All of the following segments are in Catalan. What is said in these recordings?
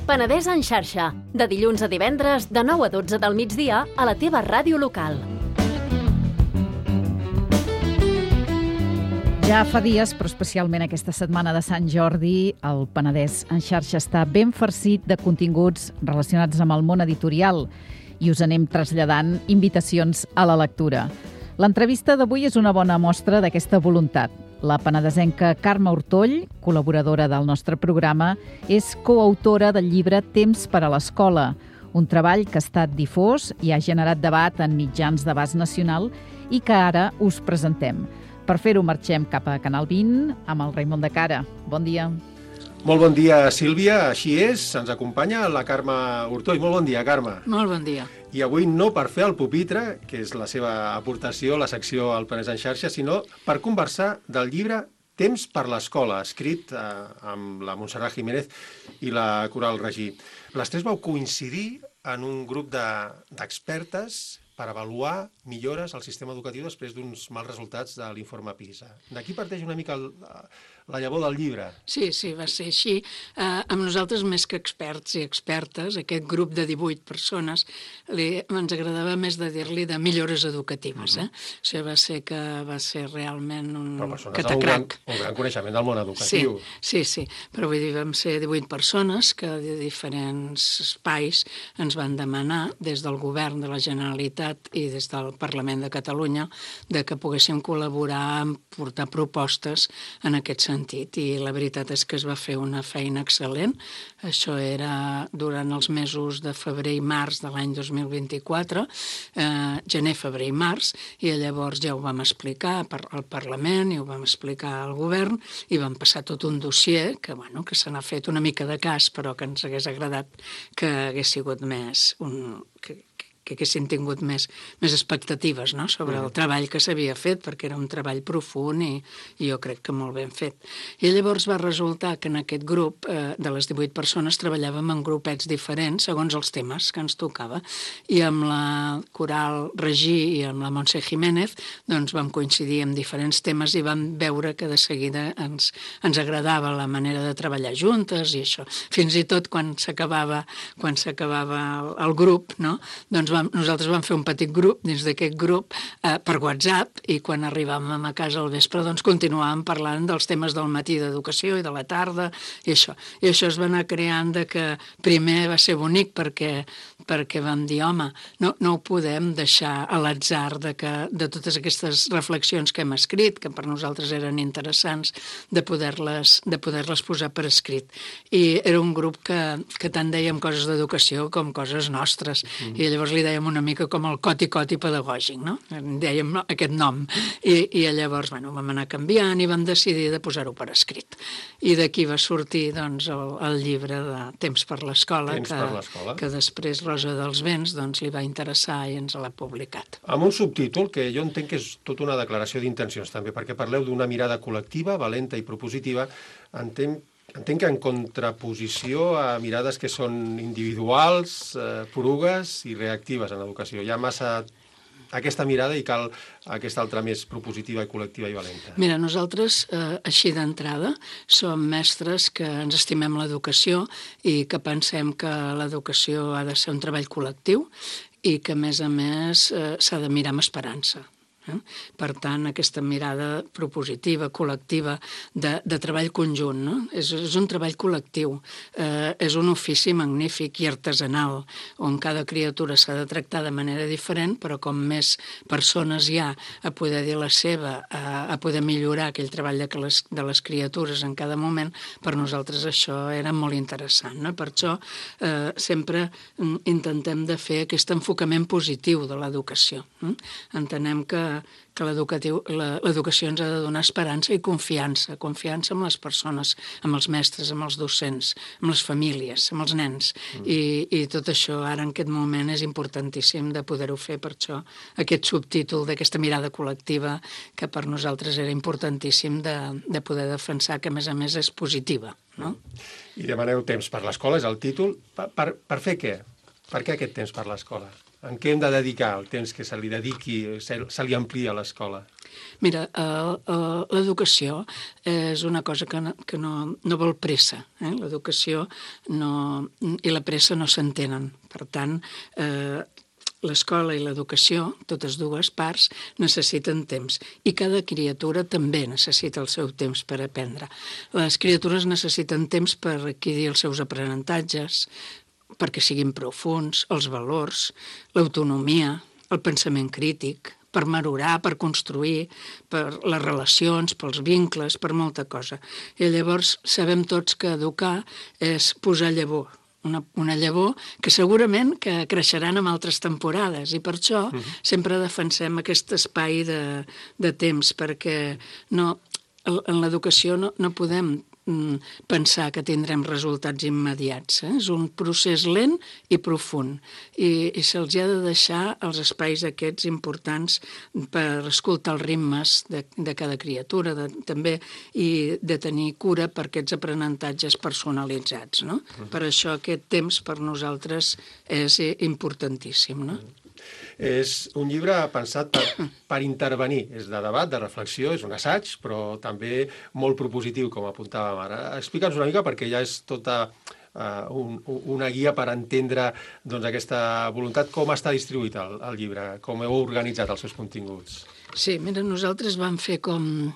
Penedès en xarxa, de dilluns a divendres, de 9 a 12 del migdia, a la teva ràdio local. Ja fa dies, però especialment aquesta setmana de Sant Jordi, el Penedès en xarxa està ben farcit de continguts relacionats amb el món editorial i us anem traslladant invitacions a la lectura. L'entrevista d'avui és una bona mostra d'aquesta voluntat. La penedesenca Carme Ortoll, col·laboradora del nostre programa, és coautora del llibre Temps per a l'escola, un treball que ha estat difós i ha generat debat en mitjans d'abast nacional i que ara us presentem. Per fer-ho marxem cap a Canal 20 amb el Raimon de Cara. Bon dia. Molt bon dia, Sílvia. Així és, ens acompanya la Carme Ortoll. Molt bon dia, Carme. Molt bon dia. I avui no per fer el pupitre, que és la seva aportació a la secció El Penedès en xarxa, sinó per conversar del llibre Temps per l'escola, escrit amb la Montserrat Jiménez i la Coral Regí. Les tres vau coincidir en un grup d'expertes per avaluar millores al sistema educatiu després d'uns mals resultats de l'informe PISA. D'aquí parteix una mica la llavor del llibre. Sí, va ser així. Amb nosaltres, més que experts i expertes, aquest grup de 18 persones, ens agradava més de dir-li de millores educatives. Això va ser realment un catacrac. Un gran coneixement del món educatiu. Sí. Però vull dir, vam ser 18 persones que de diferents espais ens van demanar, des del govern de la Generalitat i des del Parlament de Catalunya, de que poguéssim col·laborar en portar propostes en aquest sentit. I la veritat és que es va fer una feina excel·lent. Això era durant els mesos de febrer i març de l'any 2024, gener, febrer i març, i llavors ja ho vam explicar al Parlament i ho vam explicar al govern i vam passar tot un dossier que se n'ha fet una mica de cas, però que ens hagués agradat que hagués sigut més que haguessin tingut més expectatives, no?, sobre el treball que s'havia fet, perquè era un treball profund i jo crec que molt ben fet. I llavors va resultar que en aquest grup de les 18 persones treballàvem en grupets diferents segons els temes que ens tocava. I amb la Coral Regí i amb la Montse Jiménez doncs vam coincidir en diferents temes i vam veure que de seguida ens agradava la manera de treballar juntes i això. Fins i tot quan s'acabava el grup, no?, doncs nosaltres vam fer un petit grup dins d'aquest grup per WhatsApp i quan arribàvem a casa al vespre doncs continuàvem parlant dels temes del matí d'educació i de la tarda i això. I això es va anar creant de que primer va ser bonic perquè vam dir, home, no ho podem deixar a l'atzar de totes aquestes reflexions que hem escrit, que per nosaltres eren interessants, de poder-les posar per escrit. I era un grup que tant dèiem coses d'educació com coses nostres. I llavors li dèiem una mica com el coti-coti pedagògic, no? Dèiem aquest nom. I llavors, vam anar canviant i vam decidir de posar-ho per escrit. I d'aquí va sortir, doncs, el llibre de Temps per l'escola, que després Rosa dels Vents li va interessar i ens l'ha publicat. Amb un subtítol que jo entenc que és tota una declaració d'intencions també, perquè parleu d'una mirada col·lectiva, valenta i propositiva. Entenc que en contraposició a mirades que són individuals, porugues i reactives en l'educació. Hi ha massa aquesta mirada i cal aquesta altra més propositiva i col·lectiva i valenta. Mira, nosaltres, així d'entrada, som mestres que ens estimem l'educació i que pensem que l'educació ha de ser un treball col·lectiu i que, a més, s'ha de mirar amb esperança. Per tant, aquesta mirada propositiva, col·lectiva, de treball conjunt, no? És un treball col·lectiu, és un ofici magnífic i artesanal, on cada criatura s'ha de tractar de manera diferent, però com més persones hi ha a poder dir la seva, a poder millorar aquell treball de les criatures en cada moment, per nosaltres això era molt interessant, no? Per això sempre intentem de fer aquest enfocament positiu de l'educació. Entenem que l'educació ens ha de donar esperança i confiança amb les persones, amb els mestres, amb els docents, amb les famílies, amb els nens. I tot això ara en aquest moment és importantíssim de poder-ho fer, per això aquest subtítol d'aquesta mirada col·lectiva que per nosaltres era importantíssim de poder defensar, que a més és positiva. No? I demaneu Temps per l'escola, és el títol. Per fer què? Per què aquest temps per l'escola? En què hem de dedicar el temps que se li dediqui, se li amplia a l'escola? Mira, l'educació és una cosa que no vol pressa. L'educació i la pressa no s'entenen. Per tant, l'escola i l'educació, totes dues parts, necessiten temps. I cada criatura també necessita el seu temps per aprendre. Les criatures necessiten temps per adquirir els seus aprenentatges, perquè siguin profunds, els valors, l'autonomia, el pensament crític, per madurar, per construir, per les relacions, pels vincles, per molta cosa. I llavors sabem tots que educar és posar llavor, una llavor que segurament que creixeran en altres temporades, i per això sempre defensem aquest espai de temps, perquè en l'educació no podem pensar que tindrem resultats immediats. És un procés lent i profund, i se'ls ha de deixar els espais aquests importants per escoltar els ritmes de cada criatura, també, i de tenir cura per aquests aprenentatges personalitzats. No? Per això aquest temps per nosaltres és importantíssim. No? És un llibre pensat per intervenir, és de debat, de reflexió, és un assaig, però també molt propositiu, com apuntàvem ara. Explica'ns una mica, perquè ja és tota una guia per entendre aquesta voluntat. Com està distribuït el llibre? Com heu organitzat els seus continguts? Sí, mira, nosaltres vam fer com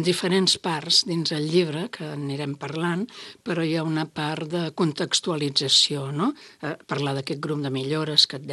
diferents parts dins el llibre, que anirem parlant, però hi ha una part de contextualització, no? Parlar d'aquest grup de millores que et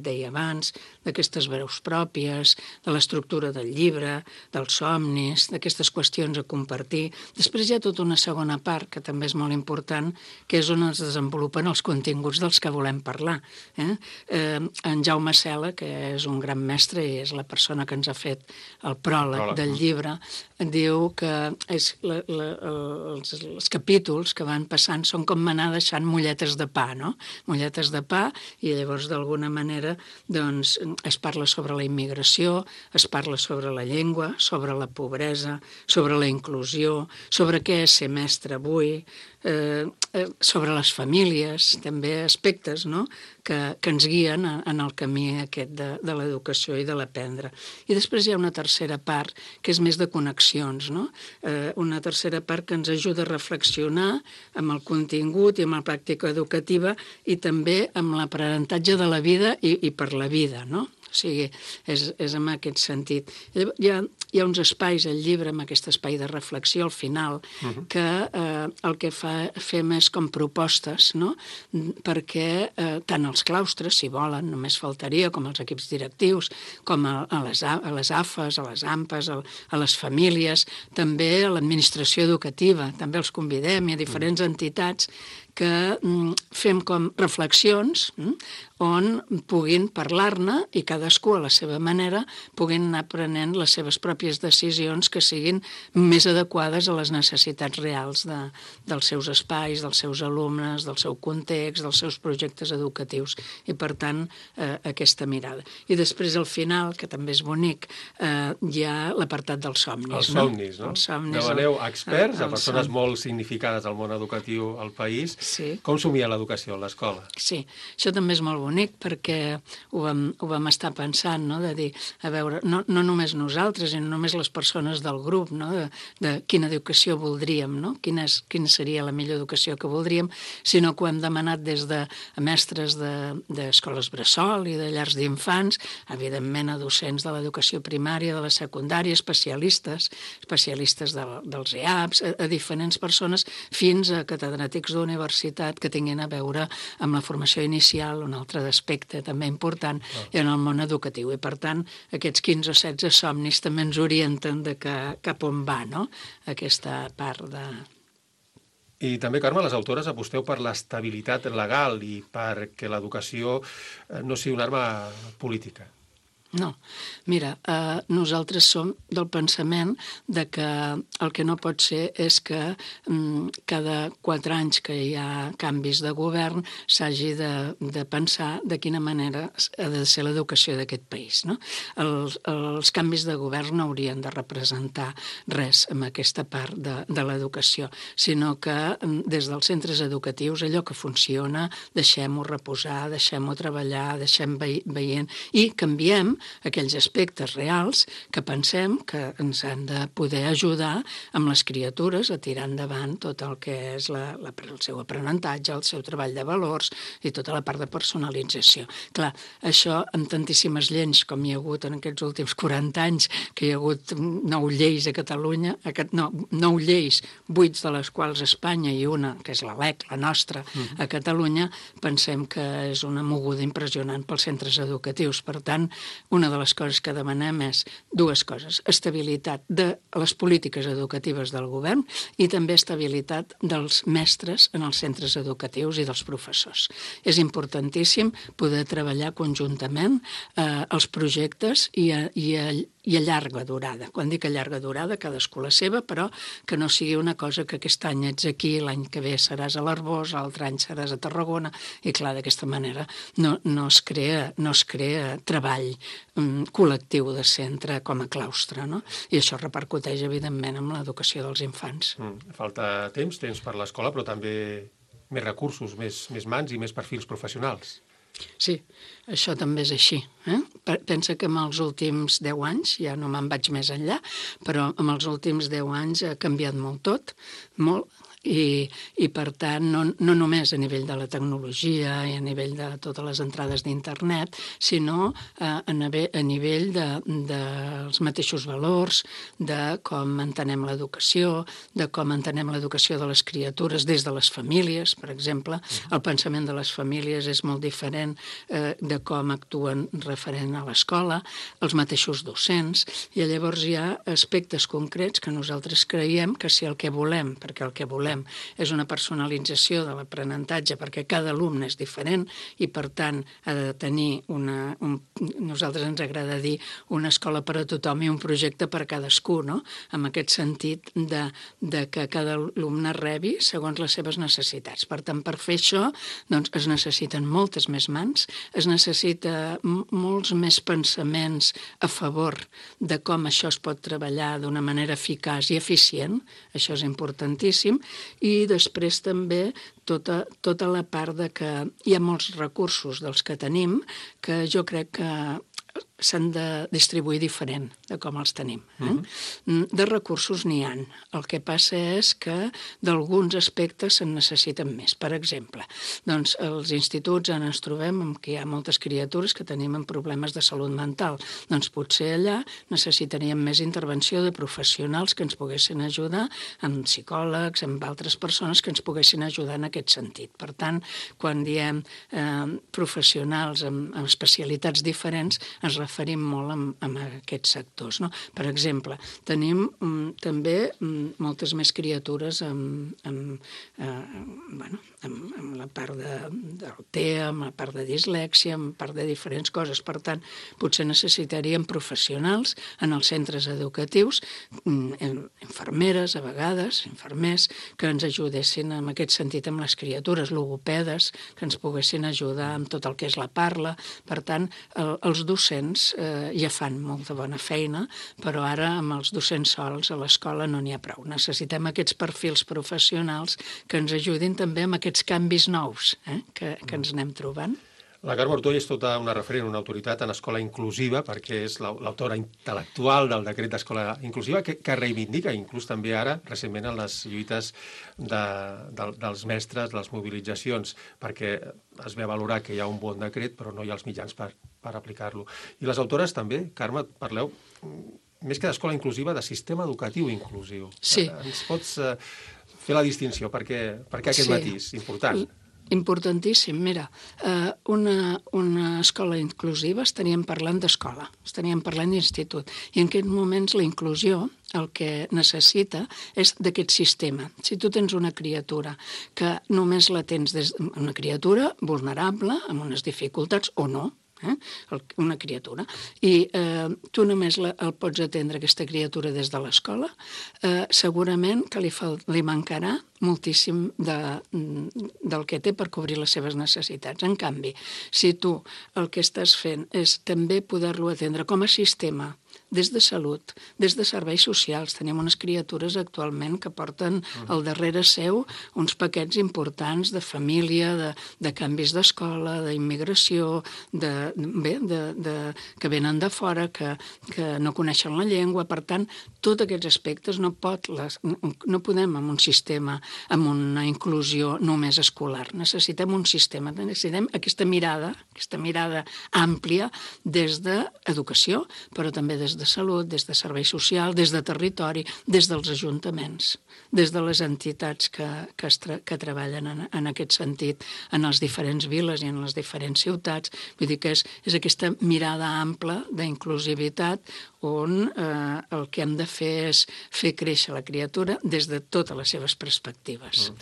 deia abans, d'aquestes veus pròpies, de l'estructura del llibre, dels somnis, d'aquestes qüestions a compartir. Després hi ha tota una segona part, que també és molt important, que és on es desenvolupen els continguts dels que volem parlar. En Jaume Cela, que és un gran mestre i és la persona que ens ha fet el pròleg del llibre, diu que els capítols que van passant són com anar deixant molletes de pa, no? Molletes de pa, i llavors d'alguna manera doncs es parla sobre la immigració, es parla sobre la llengua, sobre la pobresa, sobre la inclusió, sobre què és ser mestre avui, sobre les famílies, també aspectes, no?, que ens guien en el camí aquest de l'educació i de l'aprendre. I després hi ha una tercera part que és més de connexions, no? Una tercera part que ens ajuda a reflexionar amb el contingut i amb la pràctica educativa i també amb l'aprenentatge de la vida i per la vida, no? O sigui, és en aquest sentit. Hi ha uns espais al llibre, amb aquest espai de reflexió al final, que el que fem és com propostes, no?, perquè tant els claustres, si volen, només faltaria, com els equips directius, com a les AFES, a les AMPAs, a les famílies, també a l'administració educativa, també els convidem, i a diferents entitats que fem com reflexions on puguin parlar-ne i cadascú a la seva manera puguin anar prenent les seves pròpies decisions que siguin més adequades a les necessitats reals dels seus espais, dels seus alumnes, del seu context, dels seus projectes educatius, i per tant aquesta mirada. I després al final, que també és bonic, hi ha l'apartat dels somnis. Els somnis, no? Demaneu experts, a persones molt significades al món educatiu al país. Sí. Com somia l'educació a l'escola? Sí, això també és molt bonic perquè ho vam estar pensant, no?, de dir, a veure, no només nosaltres i no només les persones del grup, no?, de quina educació voldríem, no?, quina seria la millor educació que voldríem, sinó que ho hem demanat des de mestres d'escoles bressol i de llars d'infants, evidentment a docents de l'educació primària, de la secundària, especialistes dels EAPs, a diferents persones, fins a catedràtics d'universitat que tinguin a veure amb la formació inicial, un altre aspecte també important, en el món educatiu. I, per tant, aquests 15 o 16 somnis també ens orienten de cap on va, no?, aquesta part de... I també, Carme, les autores aposteu per l'estabilitat legal i perquè l'educació no sigui una arma política. No. Mira, nosaltres som del pensament de que el que no pot ser és que cada 4 anys que hi ha canvis de govern s'hagi de pensar de quina manera ha de ser l'educació d'aquest país, no? Els canvis de govern no haurien de representar res en aquesta part de l'educació, sinó que des dels centres educatius allò que funciona deixem-ho reposar, deixem-ho treballar, deixem veient i canviem aquells aspectes reals que pensem que ens han de poder ajudar amb les criatures a tirar endavant tot el que és el seu aprenentatge, el seu treball de valors i tota la part de personalització. Clar, això amb tantíssimes lleis com hi ha hagut en aquests últims 40 anys, que hi ha hagut 9 lleis a Catalunya, 9 lleis, 8 de les quals a Espanya i una, que és la LEC, la nostra, a Catalunya, pensem que és una moguda impressionant pels centres educatius. Per tant, una de les coses que demanem és dues coses: estabilitat de les polítiques educatives del govern i també estabilitat dels mestres en els centres educatius i dels professors. És importantíssim poder treballar conjuntament els projectes i a llarga durada. Quan dic a llarga durada, cadascú la seva, però que no sigui una cosa que aquest any ets aquí, l'any que ve seràs a l'Arboç, l'altre any seràs a Tarragona, i clar, d'aquesta manera no es crea treball col·lectiu de centre com a claustre, no? I això repercuteix, evidentment, en l'educació dels infants. Falta temps per l'escola, però també més recursos, més mans i més perfils professionals. Sí, això també és així. Pensa que en els últims 10 anys, ja no me'n vaig més enllà, però en els últims 10 anys ha canviat molt tot, molt, i per tant no només a nivell de la tecnologia i a nivell de totes les entrades d'internet, sinó a nivell dels mateixos valors, de com entenem l'educació, de com entenem l'educació de les criatures des de les famílies, per exemple. El pensament de les famílies és molt diferent de com actuen referent a l'escola, els mateixos docents, i llavors hi ha aspectes concrets que nosaltres creiem que si el que volem, perquè el que volem és una personalització de l'aprenentatge, perquè cada alumne és diferent i, per tant, ha de tenir nosaltres ens agrada dir una escola per a tothom i un projecte per a cadascú, no? En aquest sentit de que cada alumne rebi segons les seves necessitats. Per tant, per fer això, doncs, es necessiten moltes més mans, es necessita molts més pensaments a favor de com això es pot treballar d'una manera eficaç i eficient, això és importantíssim, i després també tota la part de que hi ha molts recursos dels que tenim que jo crec que s'han de distribuir diferent de com els tenim. De recursos n'hi ha. El que passa és que d'alguns aspectes se'n necessiten més. Per exemple, doncs als instituts ens trobem que hi ha moltes criatures que tenim problemes de salut mental. Doncs potser allà necessitaríem més intervenció de professionals que ens poguessin ajudar, amb psicòlegs, amb altres persones que ens poguessin ajudar en aquest sentit. Per tant, quan diem professionals amb especialitats diferents, ens referim molt a aquests sectors. No? Per exemple, tenim també moltes més criatures amb la part del TEA, amb la part de dislèxia, amb part de diferents coses. Per tant, potser necessitaríem professionals en els centres educatius, infermeres, a vegades, infermers, que ens ajudessin en aquest sentit amb les criatures, logopedes, que ens poguessin ajudar amb tot el que és la parla. Per tant, els docents ja fan molta bona feina, però ara amb els docents sols a l'escola no n'hi ha prou. Necessitem aquests perfils professionals que ens ajudin també amb aquests canvis nous que ens anem trobant. La Carme Ortuell és tota una referent, una autoritat en escola inclusiva, perquè és l'autora intel·lectual del decret d'escola inclusiva, que reivindica, inclús també ara, recentment, en les lluites dels mestres, de les mobilitzacions, perquè es ve a valorar que hi ha un bon decret, però no hi ha els mitjans per aplicar-lo. I les autores també, Carme, parleu, més que d'escola inclusiva, de sistema educatiu inclusiu. Sí. Ens pots fer la distinció? Per què aquest matís? Important. Importantíssim. Mira, una escola inclusiva estaríem parlant d'escola, estaríem parlant d'institut. I en aquests moments la inclusió el que necessita és d'aquest sistema. Si tu tens una criatura que només la tens una criatura vulnerable, amb unes dificultats o no, una criatura, i tu només el pots atendre, aquesta criatura, des de l'escola, segurament que li mancarà moltíssim del que té per cobrir les seves necessitats. En canvi, si tu el que estàs fent és també poder-lo atendre com a sistema des de salut, des de serveis socials. Tenim unes criatures actualment que porten al darrere seu uns paquets importants de família, de canvis d'escola, d'immigració, que venen de fora, que no coneixen la llengua. Per tant, tots aquests aspectes no podem amb un sistema, amb una inclusió només escolar. Necessitem un sistema, necessitem aquesta mirada àmplia des d'educació, però també des de salut, des de serveis socials, des de territori, des dels ajuntaments, des de les entitats que treballen en aquest sentit, en les diferents viles i en les diferents ciutats. Vull dir que és aquesta mirada ampla d'inclusivitat on el que hem de fer és fer créixer la criatura des de totes les seves perspectives.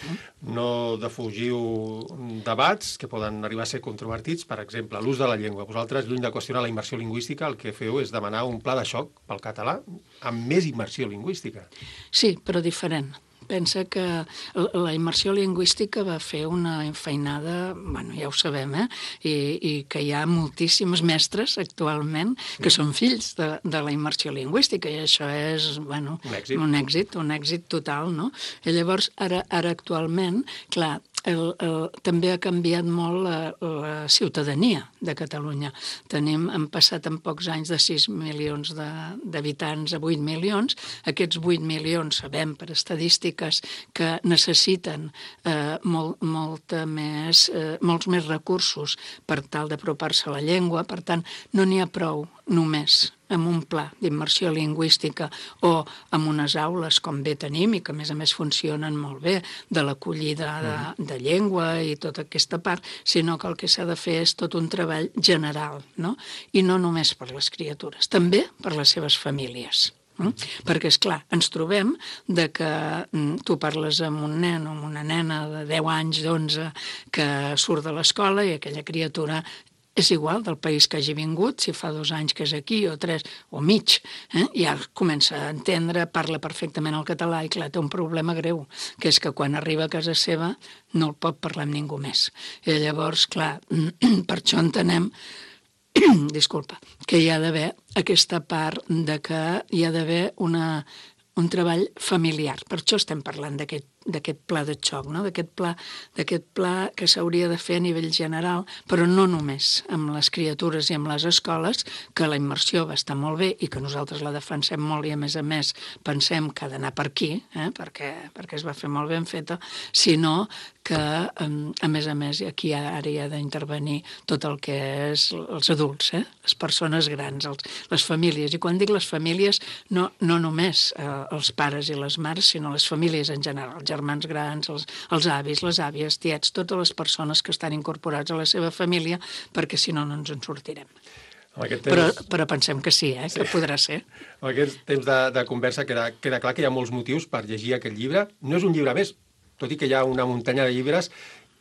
No defugiu debats que poden arribar a ser controvertits, per exemple, l'ús de la llengua. Vosaltres, lluny de qüestionar la immersió lingüística, el que feu és demanar un pla de xoc pel català amb més immersió lingüística. Sí, però diferent. Pensa que la immersió lingüística va fer una feinada, bueno, ja ho sabem, i que hi ha moltíssims mestres actualment que són fills de la immersió lingüística, i això és, bueno, un èxit total, no? I llavors, ara actualment, clar, també ha canviat molt la ciutadania de Catalunya. Hem passat en pocs anys de 6 milions d'habitants a 8 milions. Aquests 8 milions sabem per estadístiques que necessiten molts més recursos per tal d'apropar-se a la llengua. Per tant, no n'hi ha prou només amb un pla d'immersió lingüística o amb unes aules com bé tenim i que a més funcionen molt bé de l'acollida de llengua i tota aquesta part, sinó que el que s'ha de fer és tot un treball general, no? I no només per les criatures, també per les seves famílies. Perquè, esclar, ens trobem que tu parles amb un nen o amb una nena de 10 anys, d'11, que surt de l'escola i aquella criatura és igual del país que hagi vingut, si fa 2 anys que és aquí o 3 o mig, ja comença a entendre, parla perfectament el català i clar, té un problema greu, que és que quan arriba a casa seva no el pot parlar amb ningú més. I llavors, clar, per això entenem que hi ha d'haver aquesta part de que hi ha d'haver un treball familiar. Per això estem parlant d'aquest pla de xoc, no? D'aquest pla que s'hauria de fer a nivell general, però no només amb les criatures i amb les escoles, que la immersió va estar molt bé i que nosaltres la defensem molt i a més pensem que ha d'anar per aquí, perquè es va fer molt ben feta, sinó que a més aquí ara hi ha d'intervenir tot el que és els adults, les persones grans, les famílies. I quan dic les famílies, no només els pares i les mares, sinó les famílies en general, els germans grans, els avis, les àvies, tiets, totes les persones que estan incorporats a la seva família, perquè si no ens en sortirem. Però pensem que sí, que podrà ser. En aquest temps de conversa queda clar que hi ha molts motius per llegir aquest llibre. No és un llibre més, tot i que hi ha una muntanya de llibres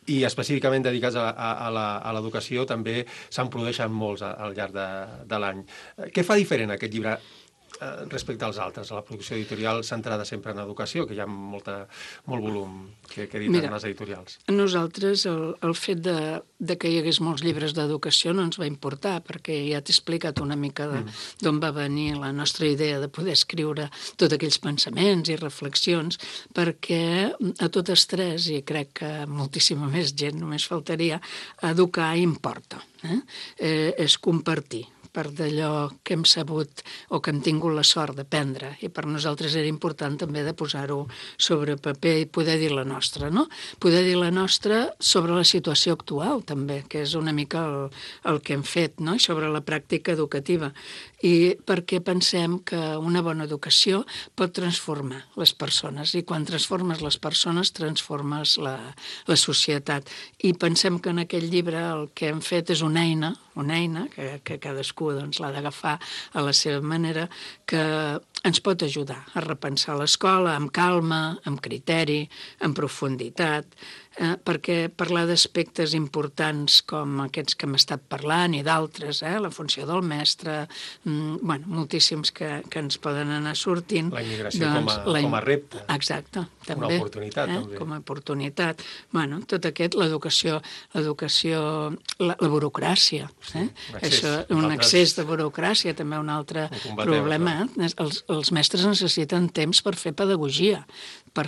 i específicament dedicats a l'educació també se'n produeixen molts al llarg de l'any. Què fa diferent aquest llibre respecte als altres, a la producció editorial centrada sempre en educació, que hi ha molt volum que editen les editorials? A nosaltres el fet de que hi hagués molts llibres d'educació no ens va importar, perquè ja t'he explicat una mica d'on va venir la nostra idea de poder escriure tots aquells pensaments i reflexions, perquè a totes tres, i crec que moltíssima més gent, només faltaria, educar importa. És compartir part d'allò que hem sabut o que hem tingut la sort d'aprendre, i per nosaltres era important també de posar-ho sobre paper i poder dir la nostra, no? Poder dir la nostra sobre la situació actual també, que és una mica el que hem fet, no? I sobre la pràctica educativa, i perquè pensem que una bona educació pot transformar les persones, i quan transformes les persones transformes la societat, i pensem que en aquest llibre el que hem fet és una eina que cadascú l'ha d'agafar a la seva manera, que ens pot ajudar a repensar l'escola amb calma, amb criteri, amb profunditat, perquè parlar d'aspectes importants com aquests que hem estat parlant i d'altres, la funció del mestre, moltíssims que ens poden anar sortint. La immigració com a repte. Exacte, també. Una oportunitat, també. Com a oportunitat. Tot aquest, l'educació, la burocràcia. Un excés de burocràcia, també un altre problema. Els mestres necessiten temps per fer pedagogia, per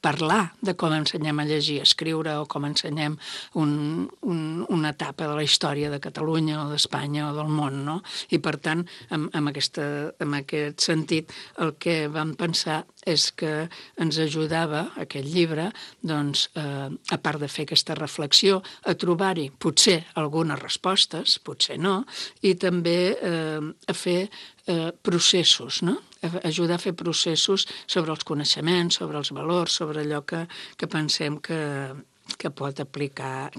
parlar de com ensenyem a llegir, a escriure, o com ensenyem una etapa de la història de Catalunya o d'Espanya o del món, no? I, per tant, en aquest sentit, el que vam pensar és que ens ajudava aquest llibre, doncs, a part de fer aquesta reflexió, a trobar-hi potser algunes respostes, potser no, i també a fer processos, no? Ajudar a fer processos sobre els coneixements, sobre els valors, sobre allò que pensem que es pot aplicar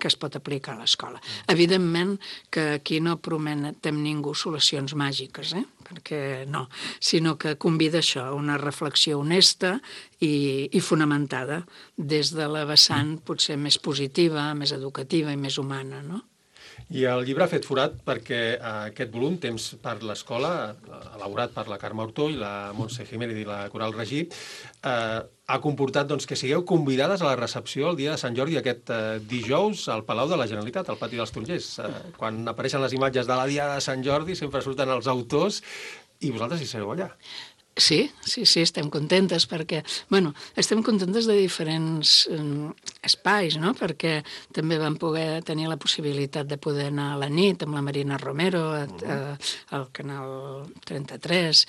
a l'escola. Evidentment que aquí no prometem ningú solucions màgiques, perquè no, sinó que convida això, una reflexió honesta i fonamentada des de la vessant potser més positiva, més educativa i més humana, no? I el llibre ha fet forat perquè aquest volum, Temps per l'escola, elaborat per la Carme Ortó i la Montse Jiménez i la Coral Regí, ha comportat que sigueu convidades a la recepció el dia de Sant Jordi aquest dijous al Palau de la Generalitat, al Pati dels Tarongers. Quan apareixen les imatges de la Diada de Sant Jordi sempre surten els autors i vosaltres hi sereu allà. Sí, estem contentes perquè, estem contentes de diferents espais, no? Perquè també vam poder tenir la possibilitat de poder anar a la nit amb la Marina Romero al Canal 33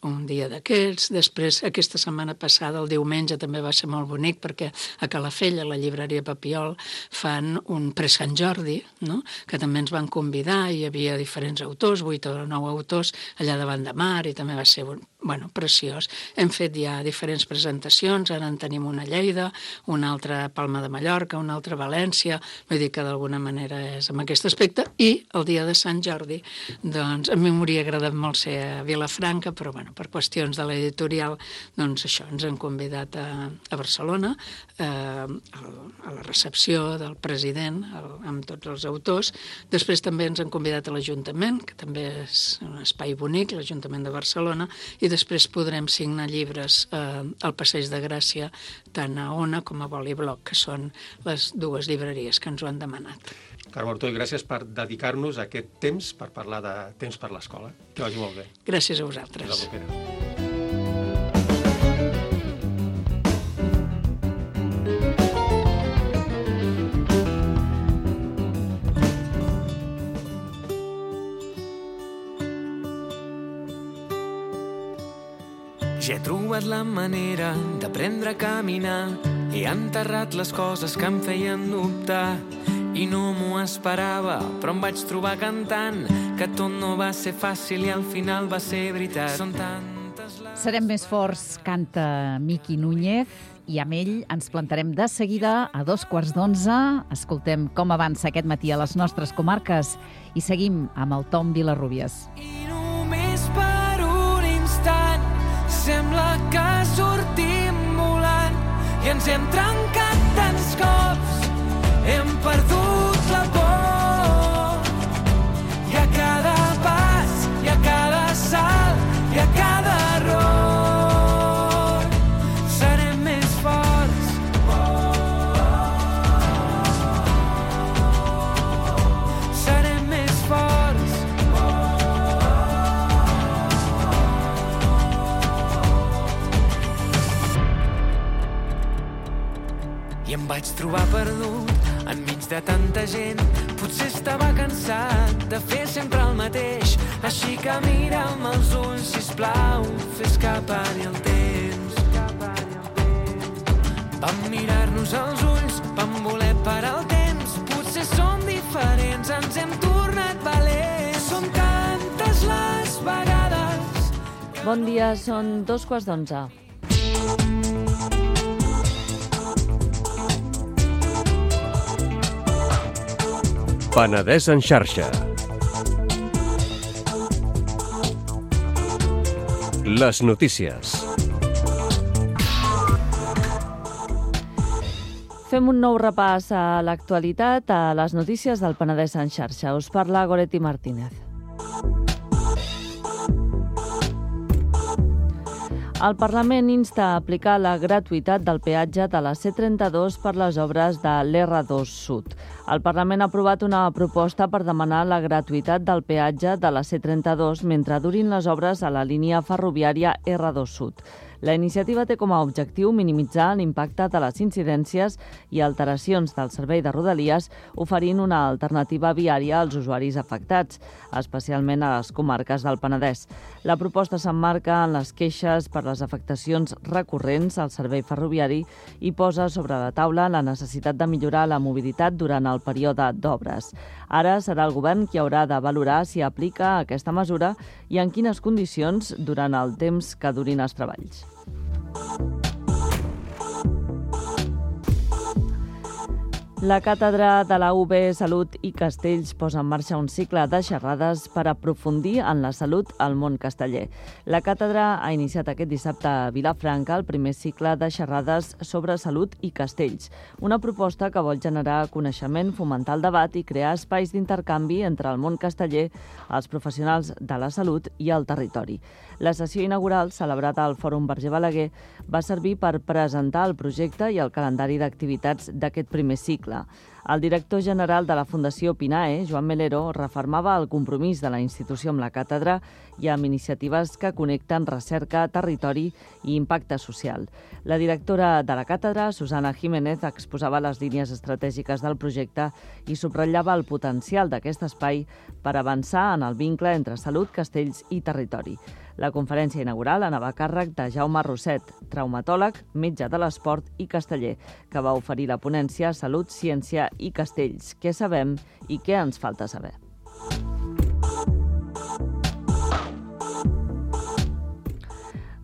un dia d'aquests. Després, aquesta setmana passada, el diumenge, també va ser molt bonic perquè a Calafell, a la llibreria Papiol, fan un pre-Sant Jordi, no? Que també ens van convidar, hi havia diferents autors, 8 o 9 autors, allà davant de mar, i també va ser preciós. Hem fet ja diferents presentacions, ara en tenim una a Lleida, una altra a Palma de Mallorca, una altra a València, vull dir que d'alguna manera és amb aquest aspecte, i el dia de Sant Jordi, doncs a mi m'hauria agradat molt ser a Vilafranca, però per qüestions de l'editorial, doncs això, ens han convidat a Barcelona, a la recepció del president, amb tots els autors. Després també ens han convidat a l'Ajuntament, que també és un espai bonic, l'Ajuntament de Barcelona, i després podrem signar llibres al Passeig de Gràcia, tant a Ona com a Bolibloc, que són les dues llibreries que ens ho han demanat. Carme Ortó, gràcies per dedicar-nos aquest temps per parlar de Temps per l'escola. Que vagi molt bé. Gràcies a vosaltres. Fins la propera. Ja he trobat la manera d'aprendre a caminar. He enterrat les coses que em feien dubtar. I no m'ho esperava, però em vaig trobar cantant que tot no va ser fàcil i al final va ser veritat. Són tantes les... Serem més forts, canta Miqui Núñez, i amb ell ens plantarem de seguida a 11:15. Escoltem com avança aquest matí a les nostres comarques i seguim amb el Tom Vilarrubias. I només per un instant sembla que sortim volant i ens hem trencat tants cops, hem perdut la por. I a cada pas, i a cada salt, i a cada error serem més forts. Serem més forts. I em vaig trobar perdut enmig de tanta gent. Potser estava cansat de fer sempre el mateix. Així que mira'm als ulls, sisplau, fes escapar-hi el temps. Vam mirar-nos als ulls, vam voler parar el temps. Potser som diferents, ens hem tornat valents. Són tantes les vegades. Bon dia, són 11:15. Penedès en xarxa. Les notícies. Fem un nou repàs a l'actualitat, a les notícies del Penedès en xarxa. Us parla Goretti Martínez. El Parlament insta a aplicar la gratuïtat del peatge de la C32 per les obres de l'R2 Sud. El Parlament ha aprovat una proposta per demanar la gratuïtat del peatge de la C32 mentre durin les obres a la línia ferroviària R2 Sud. La iniciativa té com a objectiu minimitzar l'impacte de les incidències i alteracions del servei de Rodalies, oferint una alternativa viària als usuaris afectats, especialment a les comarques del Penedès. La proposta s'emmarca en les queixes per les afectacions recurrents al servei ferroviari i posa sobre la taula la necessitat de millorar la mobilitat durant el període d'obres. Ara serà el govern qui haurà de valorar si aplica aquesta mesura i en quines condicions durant el temps que durin els treballs. La Càtedra de la UB Salut i Castells posa en marxa un cicle de xerrades per aprofundir en la salut al món casteller. La càtedra ha iniciat aquest dissabte a Vilafranca el primer cicle de xerrades sobre salut i castells, una proposta que vol generar coneixement, fomentar el debat i crear espais d'intercanvi entre el món casteller, els professionals de la salut i el territori. La sessió inaugural, celebrada al Fòrum Verger Balaguer, va servir per presentar el projecte i el calendari d'activitats d'aquest primer cicle. El director general de la Fundació Pinae, Joan Melero, refermava el compromís de la institució amb la càtedra i amb iniciatives que connecten recerca, territori i impacte social. La directora de la càtedra, Susana Jiménez, exposava les línies estratègiques del projecte i subratllava el potencial d'aquest espai per avançar en el vincle entre salut, castells i territori. La conferència inaugural anava a càrrec de Jaume Rosset, traumatòleg, metge de l'esport i casteller, que va oferir la ponència Salut, Ciència i Castells. Què sabem i què ens falta saber?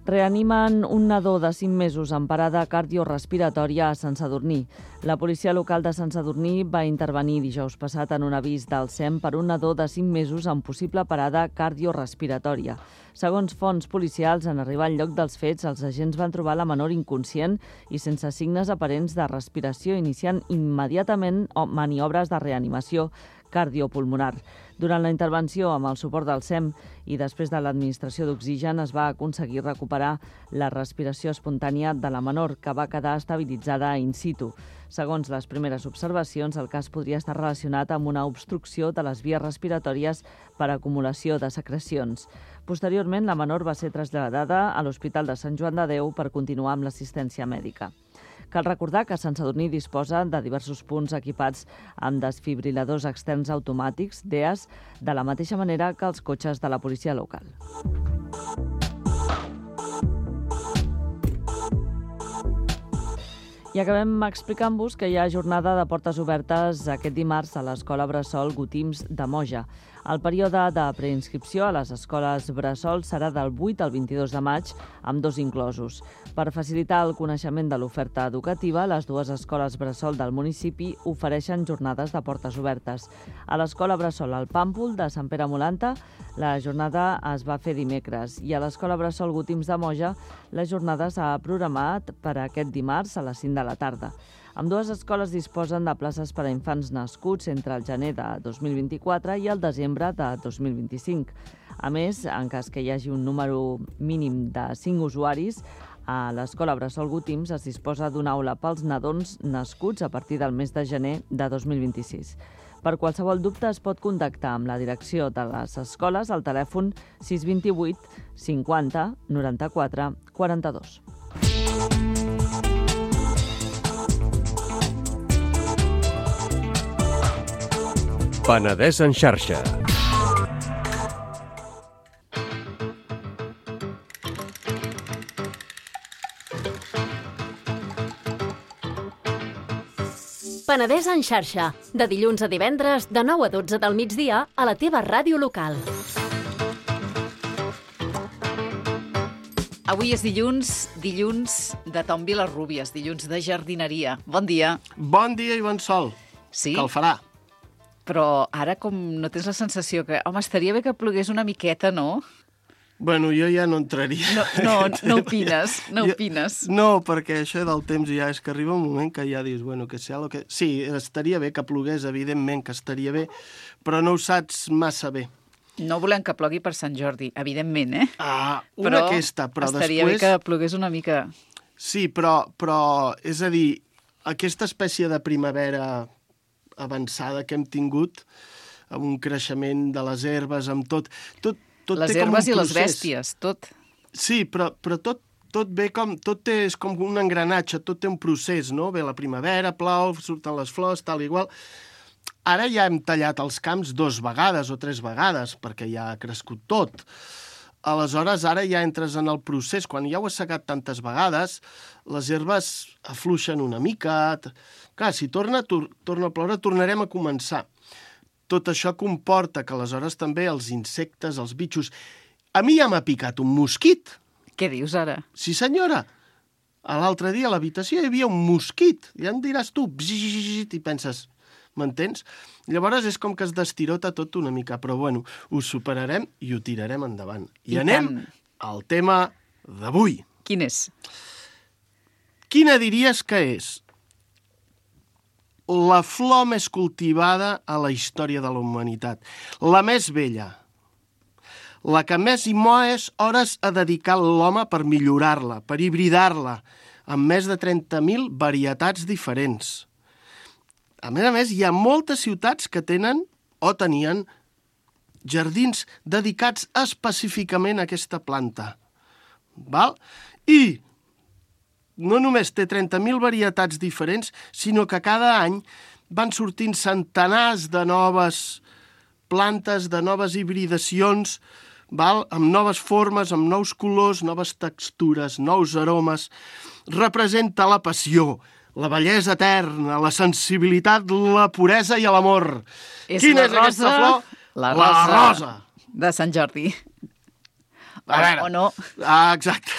Reanimen un nadó de 5 mesos amb parada cardiorespiratòria a Sant Sadurní. La policia local de Sant Sadurní va intervenir dijous passat en un avís del SEM per un nadó de 5 mesos amb possible parada cardiorespiratòria. Segons fonts policials, en arribar al lloc dels fets, els agents van trobar la menor inconscient i sense signes aparents de respiració, iniciant immediatament maniobres de reanimació cardiopulmonar. Durant la intervenció, amb el suport del SEM i després de l'administració d'oxigen, es va aconseguir recuperar la respiració espontània de la menor, que va quedar estabilitzada in situ. Segons les primeres observacions, el cas podria estar relacionat amb una obstrucció de les vies respiratòries per acumulació de secrecions. Posteriorment, la menor va ser traslladada a l'Hospital de Sant Joan de Déu per continuar amb l'assistència mèdica. Cal recordar que Sant Sadurní disposa de diversos punts equipats amb desfibriladors externs automàtics, DEAs, de la mateixa manera que els cotxes de la policia local. I acabem explicant-vos que hi ha jornada de portes obertes aquest dimarts a l'Escola Bressol Gotims de Moja. El període de preinscripció a les escoles Bressol serà del 8 al 22 de maig, amb 2 inclosos. Per facilitar el coneixement de l'oferta educativa, les 2 escoles Bressol del municipi ofereixen jornades de portes obertes. A l'Escola Bressol al Pàmpol de Sant Pere Molanta, la jornada es va fer dimecres i a l'Escola Bressol Gotims de Moja la jornada s'ha programat per aquest dimarts a les 5 de la tarda. Ambdues escoles disposen de places per a infants nascuts entre el gener de 2024 i el desembre de 2025. A més, en cas que hi hagi un número mínim de 5 usuaris, a l'Escola Bressol Gotims es disposa d'una aula pels nadons nascuts a partir del mes de gener de 2026. Per qualsevol dubte es pot contactar amb la direcció de les escoles al telèfon 628 50 94 42. Penedès en xarxa. Penedès en xarxa, de dilluns a divendres, de 9 a 12 del migdia, a la teva ràdio local. Avui és dilluns de Tom Vilarrúbies, dilluns de jardineria. Bon dia. Bon dia i bon sol. Sí? Que el farà. Però ara com no tens la sensació que... Home, estaria bé que plogués una miqueta, no? Bueno, jo ja no entraria. No opines, no opines. No, perquè això del temps ja és que arriba un moment que ja dius, bueno, que sea lo que... Sí, estaria bé que plogués, evidentment que estaria bé, però no ho saps massa bé. No volem que plogui per Sant Jordi, evidentment, eh? Però estaria bé que plogués una mica. Sí, però, és a dir, aquesta espècie de primavera avançada que hem tingut, amb un creixement de les herbes, amb tot les herbes i les bèsties, tot. Sí, però tot ve com... Tot és com un engranatge, tot té un procés, no? Ve la primavera, plou, surten les flors, tal i igual. Ara ja hem tallat els camps 2 vegades o 3 vegades, perquè ja ha crescut tot. Aleshores, ara ja entres en el procés. Quan ja ho has segat tantes vegades, les herbes afluixen una mica. Clar, si torna a ploure, tornarem a començar. Tot això comporta que aleshores també els insectes, els bitxos... A mi ja m'ha picat un mosquit. Què dius ara? Sí, senyora. L'altre dia a l'habitació hi havia un mosquit. Ja em diràs tu, i penses, m'entens? Llavors és com que es destirota tot una mica, però bueno, ho superarem i ho tirarem endavant. I anem al tema d'avui. Quin és? Quina diries que és la flor més cultivada a la història de la humanitat, la més vella, la que més hores ha dedicat l'home per millorar-la, per hibridar-la, amb més de 30.000 varietats diferents. A més, hi ha moltes ciutats que tenen o tenien jardins dedicats específicament a aquesta planta. Val? I no només té 30.000 varietats diferents, sinó que cada any van sortint centenars de noves plantes, de noves hibridacions, val? Amb noves formes, amb nous colors, noves textures, nous aromes. Representa la passió, la bellesa eterna, la sensibilitat, la puresa i l'amor. Quina és aquesta flor? La rosa de Sant Jordi. A veure, o no. Exacte.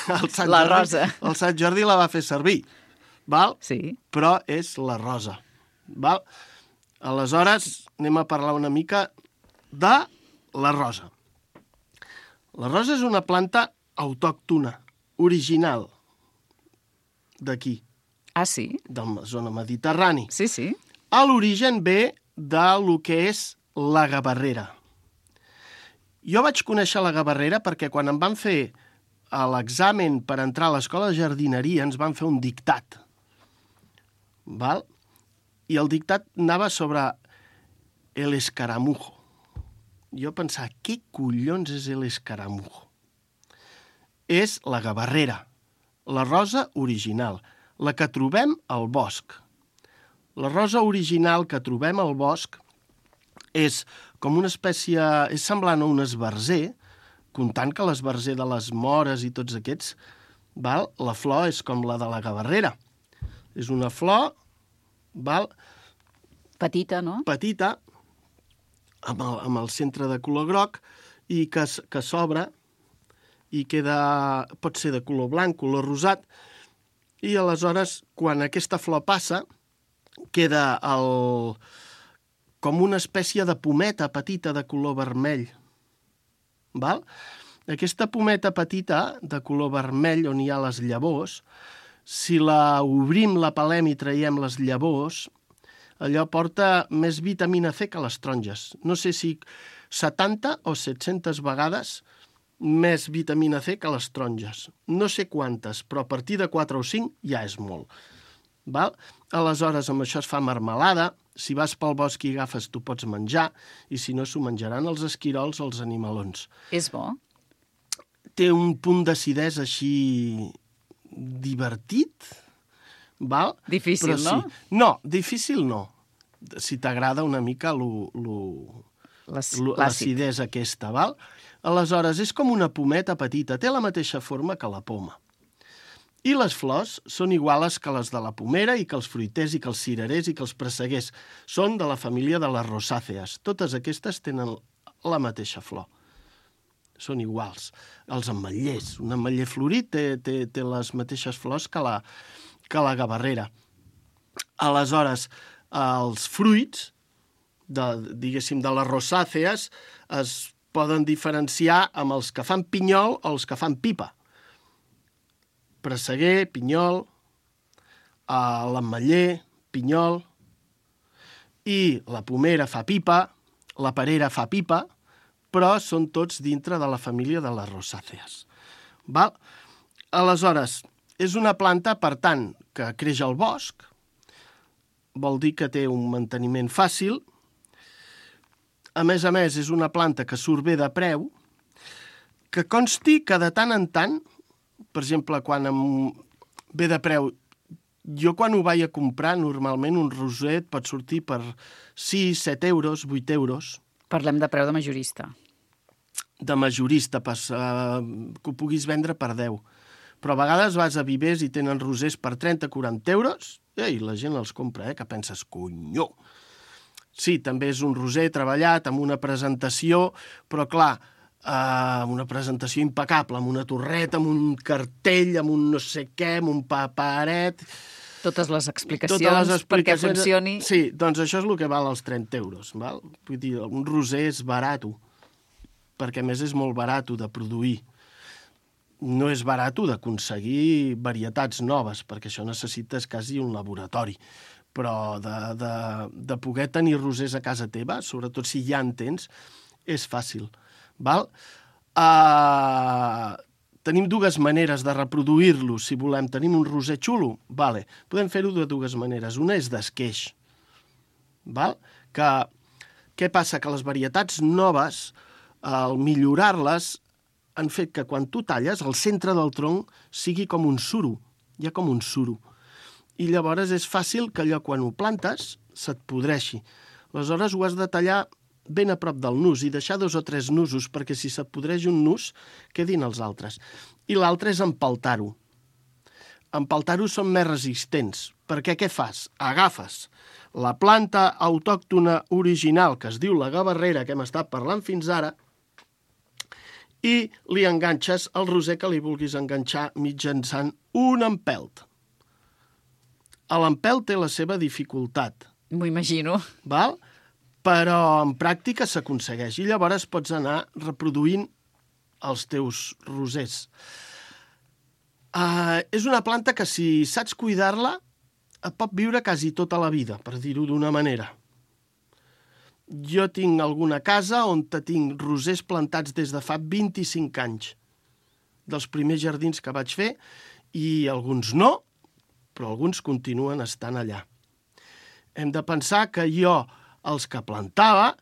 La rosa. El Sant Jordi la va fer servir, val? Sí. Però és la rosa, val? Aleshores, anem a parlar una mica de la rosa. La rosa és una planta autòctona, original, d'aquí. Ah, sí? De la zona mediterrani. Sí, sí. A l'origen ve de lo que és la gavarrera. Jo vaig conèixer la gavarrera perquè quan em van fer l'examen per entrar a l'escola de jardineria ens van fer un dictat. Val? I el dictat anava sobre el escaramujo. Jo pensava, què collons és el escaramujo? És la gavarrera, la rosa original, la que trobem al bosc. La rosa original que trobem al bosc és com una espècie... és semblant a un esbarzer, comptant que l'esbarzer de les mores i tots aquests, val? La flor és com la de la gavarrera. És una flor, val? Petita, no? Petita, amb el centre de color groc, i que s'obre i queda... pot ser de color blanc, color rosat, i aleshores, quan aquesta flor passa, queda com una espècie de pometa petita de color vermell. Val? Aquesta pometa petita de color vermell on hi ha les llavors, si la obrim, la pelem i traiem les llavors, allò porta més vitamina C que les taronges. No sé si 70 o 700 vegades més vitamina C que les taronges. No sé quantes, però a partir de 4 o 5 ja és molt. Val? Aleshores, amb això es fa marmelada. Si vas pel bosc i agafes, tu pots menjar, i si no, s'ho menjaran els esquirols o els animalons. És bo? Té un punt d'acidesa així divertit, val? Difícil, però no? Sí. No, difícil no. Si t'agrada una mica l'acidesa aquesta, val? Aleshores, és com una pometa petita, té la mateixa forma que la poma. I les flors són iguales que les de la pomera i que els fruiters i que els cirerers i que els presseguers. Són de la família de les rosàcees. Totes aquestes tenen la mateixa flor. Són iguals. Els ametllers. Un ametller florit té les mateixes flors que la gavarrera. Aleshores, els fruits, diguéssim, de les rosàcees es poden diferenciar amb els que fan pinyol o els que fan pipa. Presseguer, pinyol, l'ametller, pinyol, i la pomera fa pipa, la perera fa pipa, però són tots dintre de la família de les rosàcees. Val? Aleshores, és una planta, per tant, que creix al bosc, vol dir que té un manteniment fàcil. A més, és una planta que surt bé de preu, que consti que de tant en tant, per exemple, quan ve de preu, jo quan ho vaig a comprar, normalment un roser pot sortir per 6, 7 euros, 8 euros. Parlem de preu de majorista. De majorista, que ho puguis vendre per 10. Però a vegades vas a vivers i tenen rosers per 30-40 euros i la gent els compra, que penses, conyó. Sí, també és un roser treballat amb una presentació, però clar, una presentació impecable, amb una torreta, amb un cartell, amb un no sé què, amb un paperet. Totes les explicacions perquè funcioni. Sí, doncs això és el que val els 30 euros. Val? Vull dir, un roser és barat, perquè a més és molt barat de produir. No és barat d'aconseguir varietats noves, perquè això necessites quasi un laboratori. Però de poder tenir rosers a casa teva, sobretot si ja en tens, és fàcil. Val? Tenim dues maneres de reproduir-lo, si volem. Tenim un roser xulo? Vale. Podem fer-ho de dues maneres. Una és d'esqueix. Val? Què passa? Que les varietats noves, al millorar-les, han fet que quan tu talles, el centre del tronc sigui com un suro. Hi ha com un suro. I llavors és fàcil que allò, quan ho plantes, se't podreixi. Aleshores ho has de tallar ben a prop del nus i deixar 2 o 3 nusos, perquè si se't podreix un nus, quedin els altres. I l'altre és empaltar-ho. Empaltar-ho són més resistents, perquè què fas? Agafes la planta autòctona original, que es diu la gavarrera, que hem estat parlant fins ara, i li enganxes el roser que li vulguis enganxar mitjançant un empelt. L'empelt té la seva dificultat. M'ho imagino. Val? Però en pràctica s'aconsegueix. I llavors pots anar reproduint els teus rosers. És una planta que, si saps cuidar-la, et pot viure quasi tota la vida, per dir-ho d'una manera. Jo tinc alguna casa on tinc rosers plantats des de fa 25 anys, dels primers jardins que vaig fer, i alguns no, però alguns continuen estant allà. Hem de pensar que jo, els que plantava,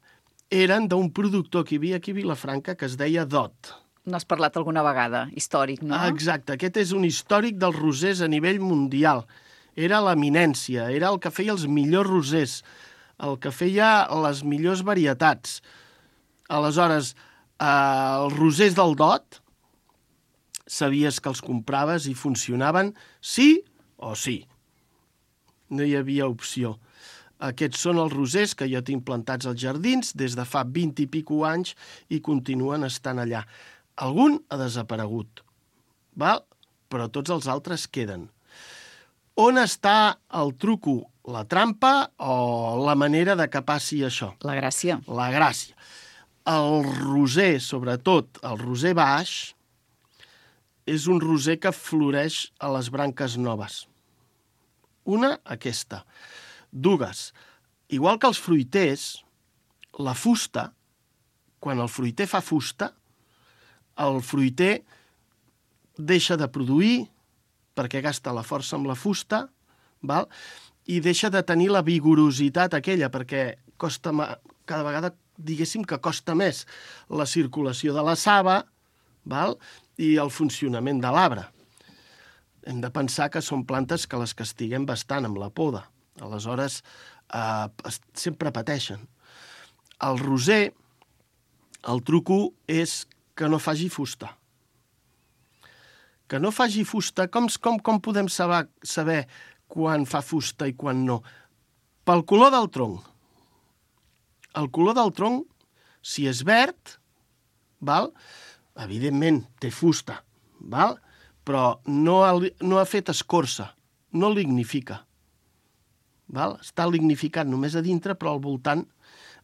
eren d'un productor que hi havia aquí a Vilafranca que es deia Dot. N'has parlat alguna vegada, històric, no? Exacte, aquest és un històric dels rosers a nivell mundial. Era l'eminència, era el que feia els millors rosers, el que feia les millors varietats. Aleshores, els rosers del Dot, sabies que els compraves i funcionaven sí o sí. No hi havia opció. Aquests són els rosers que jo tinc plantats als jardins des de fa 20 i pico anys i continuen estant allà. Algun ha desaparegut, val? Però tots els altres queden. On està el truco, la trampa o la manera de que passi això? La gràcia. La gràcia. El roser, sobretot el roser baix, és un roser que floreix a les branques noves. Una, aquesta. Dues, igual que els fruiters, la fusta, quan el fruiter fa fusta, el fruiter deixa de produir perquè gasta la força amb la fusta, val? I deixa de tenir la vigorositat aquella, perquè cada vegada, diguéssim, que costa més la circulació de la saba, val? I el funcionament de l'arbre. Hem de pensar que són plantes que les castiguem bastant amb la poda. Aleshores, sempre pateixen. El roser, el truco és que no faci fusta. Que no faci fusta, com podem saber quan fa fusta i quan no? Pel color del tronc. El color del tronc, si és verd, val? Evidentment té fusta, val? Però no ha fet escorça, no lignifica. Val? Està lignificat només a dintre, però al voltant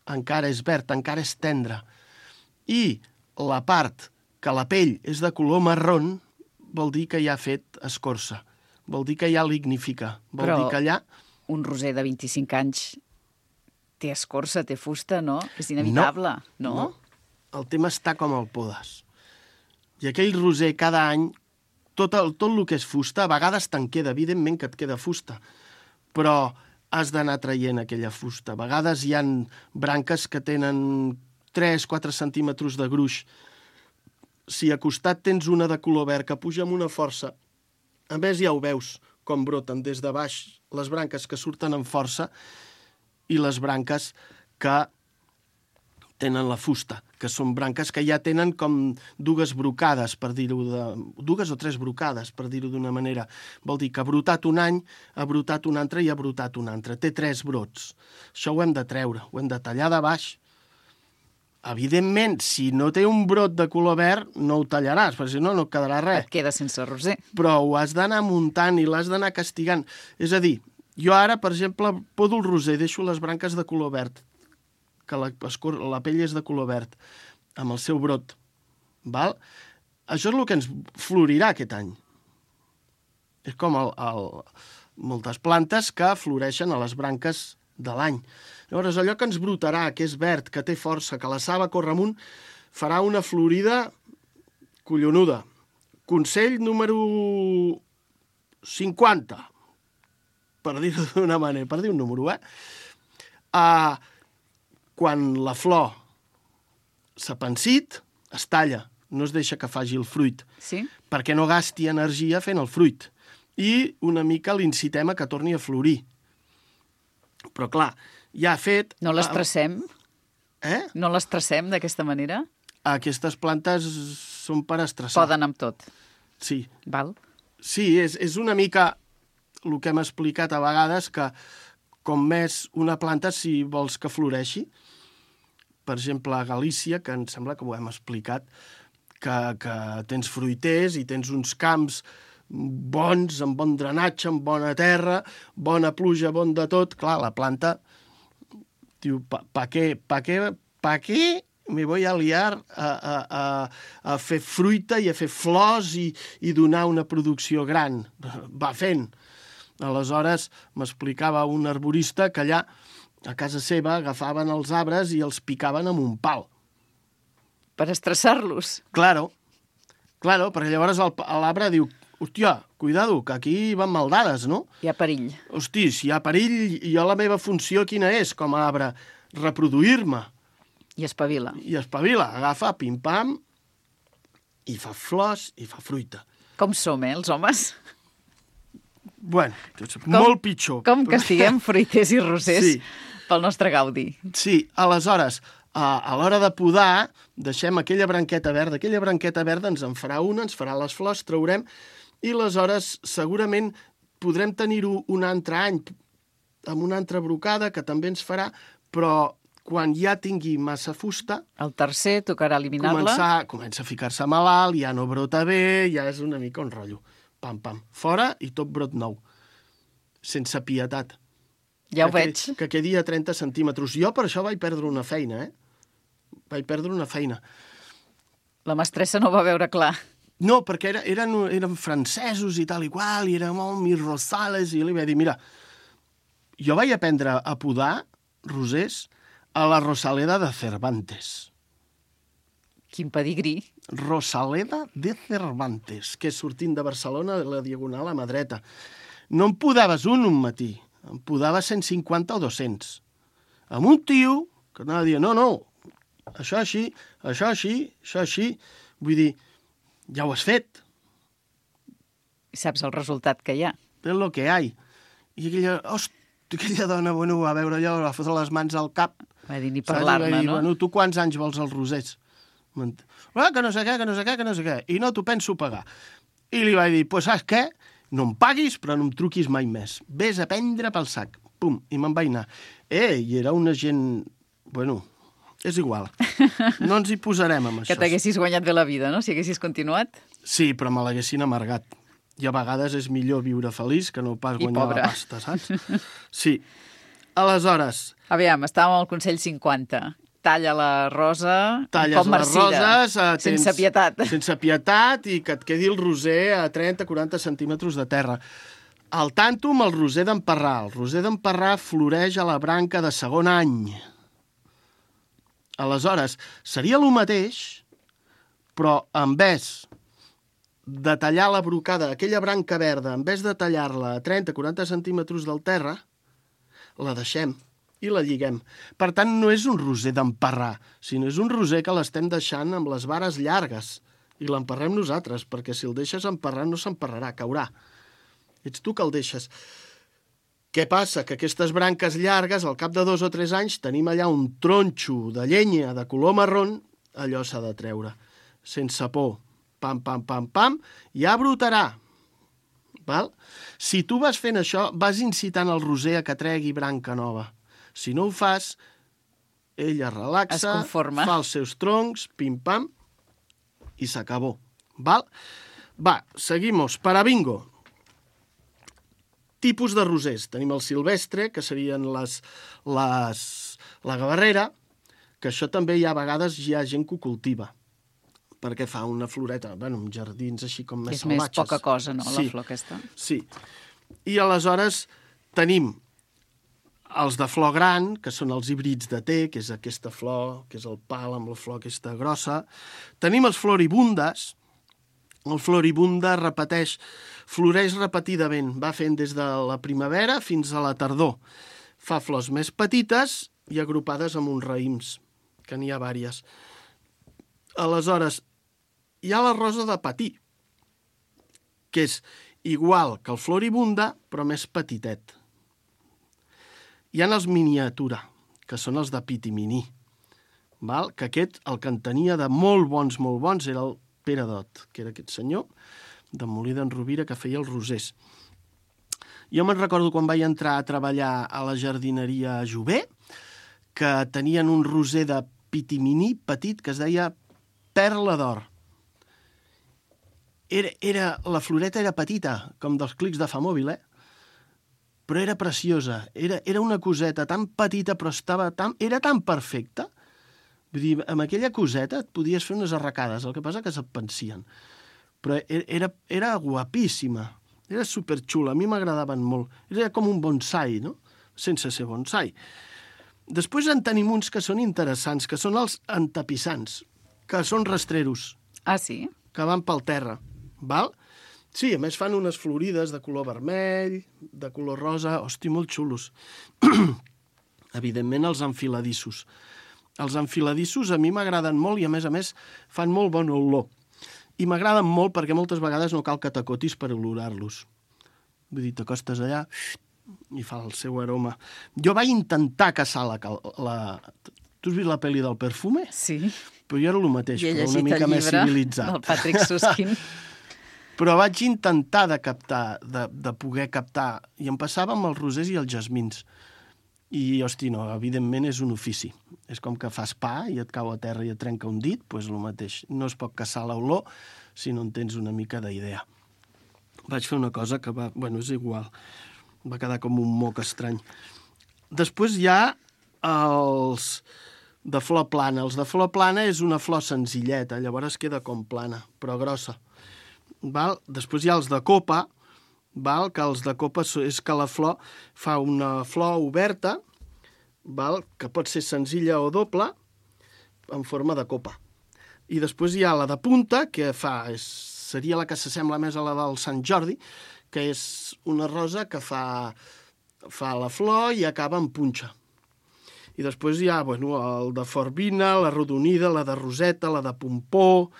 encara és verd, encara és tendre. i la part que la pell és de color marrón, vol dir que ja ha fet escorça. Vol dir que ja lignifica. Vol dir que allà... un roser de 25 anys té escorça, té fusta, no? És inevitable, no? El tema està com el podes. I aquell roser cada any, tot el que és fusta, a vegades te'n queda, evidentment que et queda fusta, però has d'anar traient aquella fusta. A vegades hi ha branques que tenen 3-4 centímetres de gruix. Si a costat tens una de color verd que puja amb una força, a més ja ho veus, com broten des de baix les branques que surten amb força i les branques que tenen la fusta, que són branques que ja tenen com dues brocades, per dir-ho dues o tres brocades, per dir-ho d'una manera. Vol dir que ha brotat un any, ha brotat un altre i ha brotat un altre. Té 3 brots. Això ho hem de treure, ho hem de tallar de baix. Evidentment, si no té un brot de color verd, no ho tallaràs, perquè si no, no et quedarà res. Et queda sense roser. Però ho has d'anar muntant i l'has d'anar castigant. És a dir, jo ara, per exemple, podo el roser, deixo les branques de color verd, que la pell és de color verd, amb el seu brot. Val? Això és el que ens florirà aquest any. És com moltes plantes que floreixen a les branques de l'any. Llavors, allò que ens brotarà, que és verd, que té força, que la saba corre amunt, farà una florida collonuda. Consell número 50, per dir-ho d'una manera, per dir un número, quan la flor s'ha pensit, es talla, no es deixa que faci el fruit, sí? Perquè no gasti energia fent el fruit. I una mica l'incitem a que torni a florir. Però, clar, ja ha fet... No l'estressem? No l'estressem d'aquesta manera? Aquestes plantes són per estressar. Poden amb tot. Sí. Val? Sí, és una mica el que hem explicat a vegades, que com més una planta, si vols que floreixi, per exemple, a Galícia, que em sembla que ho hem explicat, que tens fruiters i tens uns camps bons, amb bon drenatge, amb bona terra, bona pluja, bon de tot. Clar, la planta diu, ¿pa qué me voy a liar a fer fruita i a fer flors i donar una producció gran? Va fent. Aleshores, m'explicava un arborista que allà, a casa seva, agafaven els arbres i els picaven amb un pal. Per estressar-los? Claro, perquè llavors l'arbre diu, hòstia, cuidado, que aquí van maldades, no? Hi ha perill. Hosti, si hi ha perill, jo la meva funció quina és com a arbre? Reproduir-me. I espavila. Agafa, pim-pam, i fa flors i fa fruita. Com som, els homes? Bueno, molt pitjor. Com que estiguem fruiters i rosers pel nostre gaudi. Sí, aleshores, a l'hora de podar, deixem aquella branqueta verda. Aquella branqueta verda ens en farà una, ens farà les flors, traurem, i aleshores segurament podrem tenir-ho un altre any amb una altra brocada que també ens farà, però quan ja tingui massa fusta... El tercer tocarà eliminar-la. Comença a ficar-se malalt, ja no brota bé, ja és una mica un rotllo. Pam, pam. Fora i tot brot nou. Sense pietat. Ja ho veig. Que quedi a 30 centímetres. Jo per això vaig perdre una feina, Vaig perdre una feina. La mestressa no va veure clar. No, perquè eren francesos i tal i qual, i era molt mis rosales, i li vaig dir, mira, jo vaig aprendre a podar rosers a la Rosaleda de Cervantes. Quin pedigrí. Rosaleda de Cervantes, que és sortint de Barcelona de la Diagonal a mà dreta. No em podaves un matí, em podava 150 o 200. Amb un tio que anava a dir, no, això així, això així, això així. Vull dir, ja ho has fet. I saps el resultat que hi ha. És el que hi ha. I aquella dona, bueno, va veure allò, va fotre les mans al cap. Va dir, ni parlar-ne, no? Bueno, tu quants anys vols els rosers? Que no sé què. I no t'ho penso pagar. I li vaig dir, pues saps què? No em paguis, però no em truquis mai més. Ves a prendre pel sac. Pum, i me'n vaig anar. I era una gent... Bueno, és igual. No ens hi posarem amb això. Que t'haguessis guanyat bé la vida, no?, si haguessis continuat. Sí, però me l'haguessin amargat. I a vegades és millor viure feliç que no pas guanyar la pasta, saps? Sí. Aleshores... Aviam, estàvem al Consell 50. talla la rosa talles com les roses, sense pietat. Sense pietat i que et quedi el roser a 30-40 centímetres de terra. Al tanto amb el roser d'emparrar. El roser d'emparrar floreix a la branca de segon any. Aleshores, seria el mateix, però en vez de tallar la brocada, aquella branca verda, en vez de tallar-la a 30-40 centímetres del terra, la deixem i la lliguem. Per tant, no és un roser d'emparrar, sinó és un roser que l'estem deixant amb les vares llargues i l'emparrem nosaltres, perquè si el deixes emparrar no s'emparrarà, caurà. Ets tu que el deixes. Què passa? Que aquestes branques llargues, al cap de 2 o 3 anys, tenim allà un tronxo de llenya de color marrón, allò s'ha de treure. Sense por. Pam, pam, pam, pam, ja brotarà. Val? Si tu vas fent això, vas incitant el roser a que tregui branca nova. Si no ho fas, ella relaxa, fa els seus troncs, pim-pam, i s'acabó. Val? Va, seguimos. Para bingo. Tipus de rosers. Tenim el silvestre, que serien la gavarrera, que això també hi ha vegades hi ha gent que ho cultiva, perquè fa una floreta, bueno, en jardins així com més salvatges. És més poca cosa, no, la flor aquesta? Sí. I aleshores tenim els de flor gran, que són els híbrids de té, que és aquesta flor, que és el pal amb la flor aquesta grossa. Tenim els floribundes. El floribunda repeteix, floreix repetidament, va fent des de la primavera fins a la tardor. Fa flors més petites i agrupades amb uns raïms, que n'hi ha vàries. Aleshores, hi ha la rosa de patí, que és igual que el floribunda, però més petitet. Hi ha els miniatura, que són els de pitiminí, val? Que aquest, el que en tenia de molt bons, era el Pere Dot, que era aquest senyor de Molí d'en Rovira que feia els rosers. Jo me'n recordo quan vaig entrar a treballar a la jardineria Jover, que tenien un roser de pitiminí petit que es deia Perla d'Or. La floreta era petita, com dels clics de Famòbil, però era preciosa. Era una coseta tan petita, però era tan perfecta. Vull dir, amb aquella coseta et podies fer unes arracades, el que passa que se't pensien. Però era guapíssima, era superxula, a mi m'agradaven molt. Era com un bonsai, no? Sense ser bonsai. Després en tenim uns que són interessants, que són els entapissants, que són rastreros. Ah, sí? Que van pel terra, val? Sí, a més fan unes florides de color vermell, de color rosa, hosti, molt xulos. Evidentment els enfiladissos. Els enfiladissos a mi m'agraden molt i a més fan molt bona olor. I m'agraden molt perquè moltes vegades no cal que t'acotis per olorar-los. Vull dir, t'acostes allà i fa el seu aroma. Jo vaig intentar caçar Tu has vist la pel·li del Perfume? Sí. Però jo era el mateix, però una mica més civilitzat. Del Patrick Susskind. Però vaig intentar de poder captar, i em passava amb els rosers i els jasmins. I, hosti, no, evidentment és un ofici. És com que fas pa i et cau a terra i et trenca un dit, doncs el mateix. No es pot caçar l'olor si no en tens una mica d'idea. Vaig fer una cosa que és igual. Va quedar com un moc estrany. Després hi ha els de flor plana. Els de flor plana és una flor senzilleta, llavors queda com plana, però grossa. Val? Després hi ha els de copa, val? Que els de copa és que la flor fa una flor oberta, val? Que pot ser senzilla o doble, en forma de copa. I després hi ha la de punta, que seria la que s'assembla més a la del Sant Jordi, que és una rosa que fa la flor i acaba en punxa. I després hi ha el de forbina, la rodonida, la de roseta, la de pompó,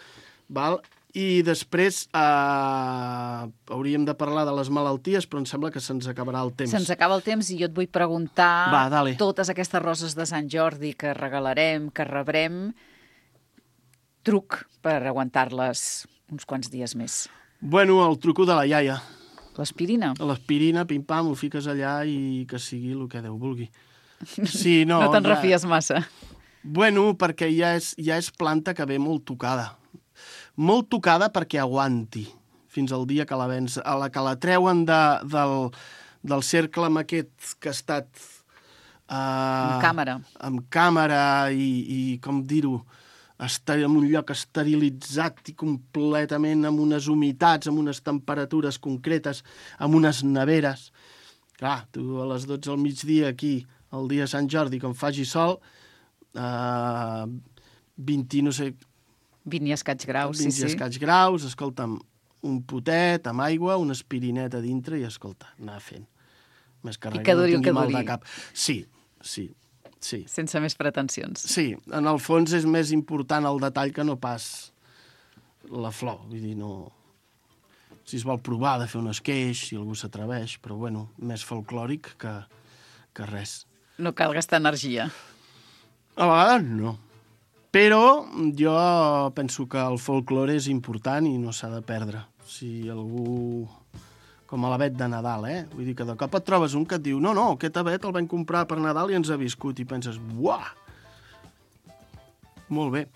val? I després hauríem de parlar de les malalties, però em sembla que se'ns acabarà el temps. Se'ns acaba el temps i jo et vull preguntar dale. Totes aquestes roses de Sant Jordi que regalarem, que rebrem, truc per aguantar-les uns quants dies més. El truco de la iaia. L'aspirina? L'aspirina, pim-pam, ho fiques allà i que sigui el que Déu vulgui. Sí, no te'n refies massa. Perquè ja és planta que ve molt tocada. Molt tocada perquè aguanti fins al dia que la vens. A la que la treuen del cercle amb aquest que ha estat Amb càmera i com dir-ho, estar en un lloc esterilitzat i completament amb unes humitats, amb unes temperatures concretes, amb unes neveres. Clar, tu a les 12 al migdia aquí, el dia de Sant Jordi, quan faci sol, 20, no sé... 20 i escaig graus, sí. 20 i escaig graus, escolta'm, un potet amb aigua, una aspirineta a dintre i, escolta, anar fent. Més que res, que duri, no tingui mal de cap. Sí. Sense més pretensions. Sí, en el fons és més important el detall que no pas la flor. Vull dir, no... Si es vol provar de fer un esqueix, si algú s'atreveix, però, bueno, més folclòric que res. No cal gastar energia. A vegades no. Però jo penso que el folklore és important i no s'ha de perdre. Si algú... Com a l'avet de Nadal, Vull dir que de cop et trobes un que et diu no, aquest avet el vam comprar per Nadal i ens ha viscut. I penses, buah! Molt bé.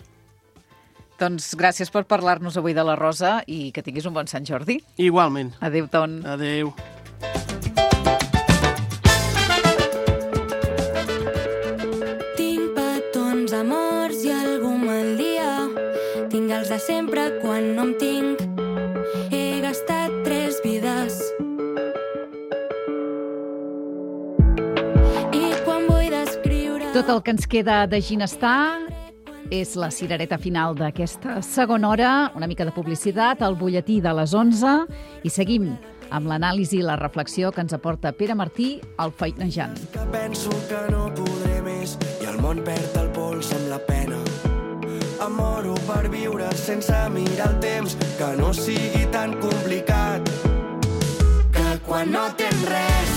Doncs gràcies per parlar-nos avui de la Rosa i que tinguis un bon Sant Jordi. Igualment. Adéu, Ton. Adéu. Tinc petons, amors i algú maldia. Tinc els de sempre quan no em tinc. He gastat 3 vides. I quan vull descriure... Tot el que ens queda de Ginestar és la cirereta final d'aquesta segona hora, una mica de publicitat, el butlletí de les 11, i seguim amb l'anàlisi i la reflexió que ens aporta Pere Martí, al Feinejant. Que penso que no podré més i el món perd el pols amb la pena. Em moro per viure sense mirar el temps, que no sigui tan complicat, que quan no tens res